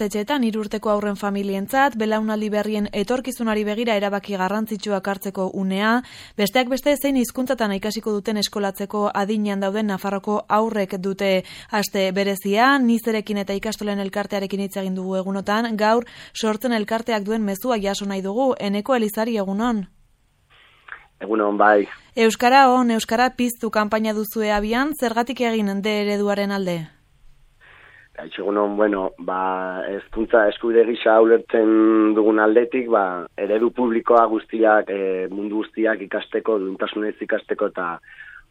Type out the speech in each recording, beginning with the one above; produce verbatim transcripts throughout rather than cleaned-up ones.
ikastetxeetan hiru urteko aurren familientzat, belaunaldi berrien etorkizunari begira erabaki garrantzitsuak hartzeko unea, besteak beste zein hizkuntzatan ikasiko duten eskolatzeko adinean dauden Nafarroko haurrek dute aste berezia, nizerekin eta ikastolen elkartearekin hitz egin dugu egunotan, gaur sortzen elkarteak duen mezua jaso nahi dugu, Eneko Elizari egunon. Egunon, bai. Euskara on, Euskara piztu kanpaina duzue abian, zergatik egin D ereduaren alde? Egunon, bueno, ba, hezkuntza eskubide gisa ulertzen dugun aldetik, ba, eredu publikoa guztiak, e, mundu guztiak ikasteko, duintasunez ikasteko eta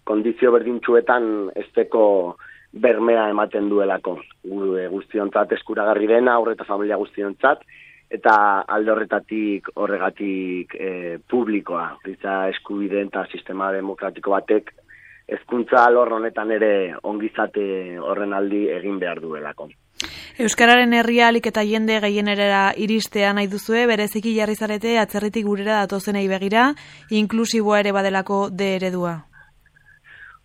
kondizio berdintsuetan esteko bermea ematen duelako. Guztiontzat eskuragarri dena, aurre eta familia guztiontzat, eta alde horretatik horregatik e, publikoa. Giza eskubideen eta sistema demokratiko batek hezkuntza alor honetan ere ongizate horren aldi egin behar duelako. Euskararen herria alik eta jende gehienerera iristea nahi duzue, bereziki jarri zarete atzerritik gurera datozenei begira, inklusiboa ere badelako D eredua.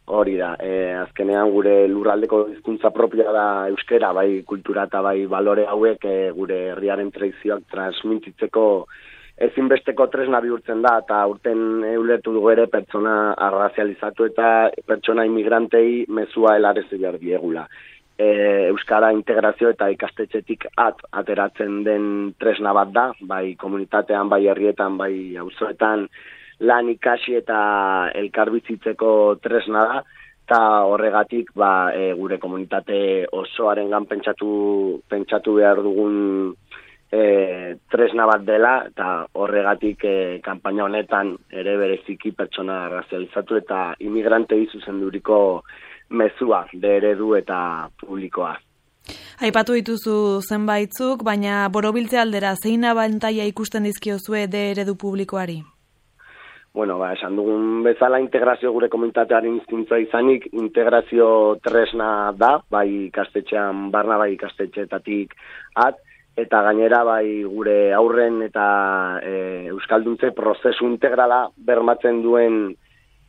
Hori da, e, azkenean gure lurraldeko hizkuntza propioa da euskara, bai kultura eta bai balore hauek e, gure herriaren tradizioak transmititzeko ezinbesteko tresna bihurtzen da, eta urten ulertu dugu ere pertsona arrazializatu eta pertsona inmigrantei mezua helarezi behar diegula. E, euskara integrazio eta ikastetxetik at ateratzen den tresna bat da, bai komunitatean, bai herrietan, bai auzoetan, lan ikasi eta elkarbizitzeko tresna da, eta horregatik ba, e, gure komunitate osoarengan pentsatu, pentsatu behar dugun e, tresna bat dela, eta horregatik e, kanpaina honetan ere bereziki pertsona razializatu eta imigrantei zuzenduriko mezua, D eredu eta publikoa. Aipatu dituzu zenbaitzuk, baina borobiltze aldera zein abantaila ikusten dizkiozue D eredu publikoari? Bueno, ba, esan dugun bezala integrazio gure komunitatearen hizkuntza izanik, integrazio tresna da, bai ikastetxean barna, bai ikastetxeetatik at, eta gainera bai gure aurren eta e, euskalduntze prozesu integrala bermatzen duen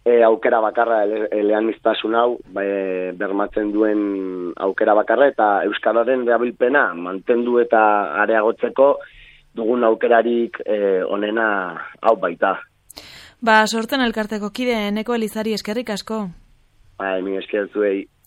e, aukera bakarra, ele, eleaniztasun hau, bai, bermatzen duen aukera bakarra, eta euskararen erabilpena mantendu eta areagotzeko dugun aukerarik e, onena hau baita. Ba, sortzen elkarteko kide, Eneko Elizari eskerrik asko. Ba, mi esker zuei.